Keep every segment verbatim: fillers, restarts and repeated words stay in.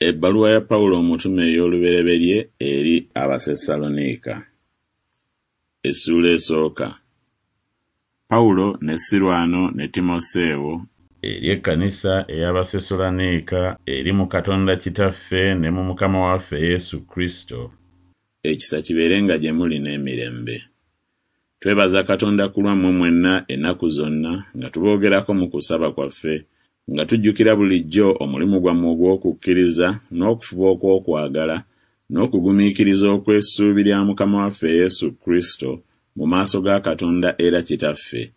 Ebbaluwa ya Pawulo omutume ey'olubereberye eri Abasessaloniika. Essuula esooka. Pawulo ne Sirwano ne Timoseewo eri ekkanisa ey'Abasessaloniika eri mu Katonda Kitaffe ne mu Mukama waffe Yesu Kristo, ekisa kibeerenga gye muli n'emirembe. Twebaza Katonda ku lwammwe mwenna ennaku zonna nga tuboogerako mu kusaba kwaffe, nga tujjukira bulijjo omulimu gwammwe ogw'okukkiriza n'okufuba okw'okwagala n'okugumiikiriza okw'essuubi lya Mukama waffe Yesu Kristo mu maaso ga Katonda era Kitaffe,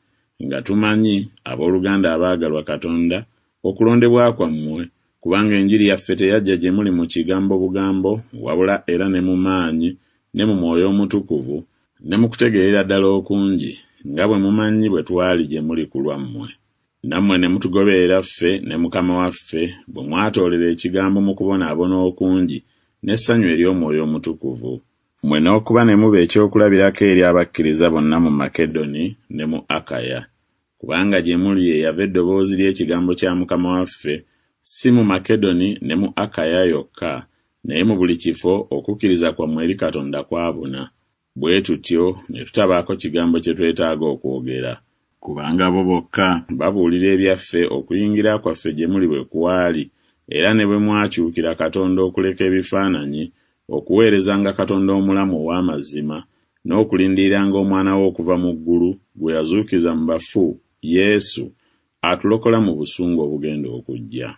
nga tumanyi, abooluganda abaagalwa Katonda, okulondebwa kwammwe, kubanga enjiri yaffe teyajja gye muli mu kigambo bugambo, wabula era ne mu maanyi ne mu Mwoyo Omutukuvu ne mu kutegeerera ddala okungi, nga bwe mumanyi bwe twali gye muli ku lwammwe. Nammwe ne mutugoberera ffe ne Mukama waffe, bwe mwatoolera ekigambo mu kubonaabona okungi n'essanyu ery'Omwoyo Omutukuvu. Mmwe n'okuba ne muba ekyokulabirako eri abakkiriza bonna mu Makedoni ne mu Akaya. Kubanga gye muli ye yava eddoboozi ly'ekigambo kya Mukama waffe, si mu Makedoni ne mu Akaya yokka, naye mu buli kifo okukkiriza kwammwe eri Katonda kwabuna. Bwe tutyo ne tutabaako kigambo kye twetaaga okwogera. Kubanga bo bokka babuulira ebyaffe okuyingira kwaffe gye muli bwe kwali, era ne bwe mwakyukira Katonda okuleka ebifaananyi, okuweerezanga Katonda omulamu ow'amazima, n'okulindiriranga Omwana we okuva mu ggulu, gwe yazuukiza mu bafu, Yesu, atulokola mu busungu obugenda okujja.